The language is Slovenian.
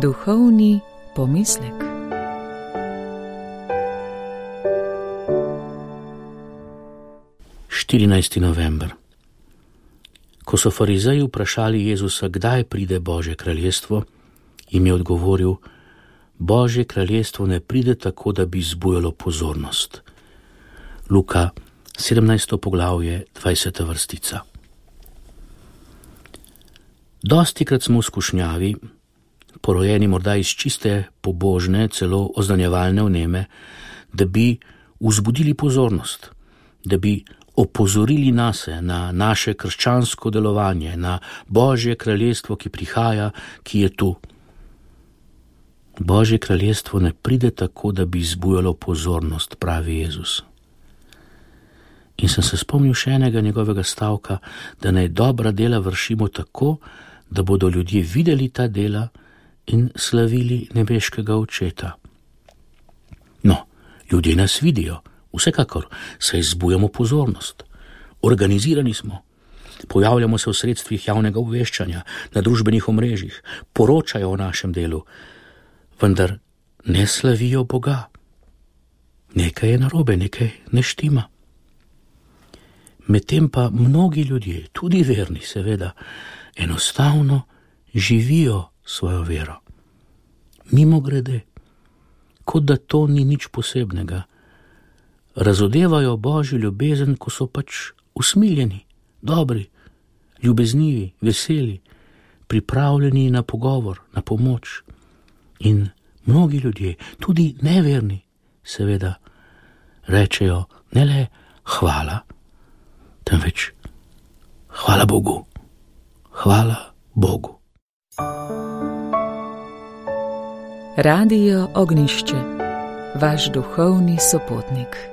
Duhovni pomislek. November. Ko so farizeji vprašali Jezusa, kdaj pride Božje kraljestvo, jim je odgovoril: Božje kraljestvo ne pride tako, da bi zbujalo pozornost. Luka 17. poglavje 20. vrstica. Dostikrat smo v skušnjavi, porojeni morda iz čiste pobožne, celo oznanjevalne vneme, da bi vzbudili pozornost, da bi opozorili nase, na naše krščansko delovanje, na Božje kraljestvo, ki prihaja, ki je tu. Božje kraljestvo ne pride tako, da bi zbujalo pozornost, pravi Jezus. In sem se spomnil še enega njegovega stavka, da naj dobra dela vršimo tako, da bodo ljudje videli ta dela in slavili nebeškega Očeta. No, ljudje nas vidijo, vsekakor, saj zbujamo pozornost. Organizirani smo, pojavljamo se v sredstvih javnega obveščanja, na družbenih omrežjih, poročajo o našem delu, vendar ne slavijo Boga. Nekaj je narobe, nekaj ne štima. Medtem pa mnogi ljudje, tudi verni seveda, enostavno živijo svojo vero. Mimogrede, kot da to ni nič posebnega. Razodevajo Božjo ljubezen, ko so pač usmiljeni, dobri, ljubeznivi, veseli, pripravljeni na pogovor, na pomoč. In mnogi ljudje, tudi neverni, seveda, rečejo ne le hvala, temveč hvala Bogu, hvala Bogu. Radio Ognjišče, vaš duhovni sopotnik.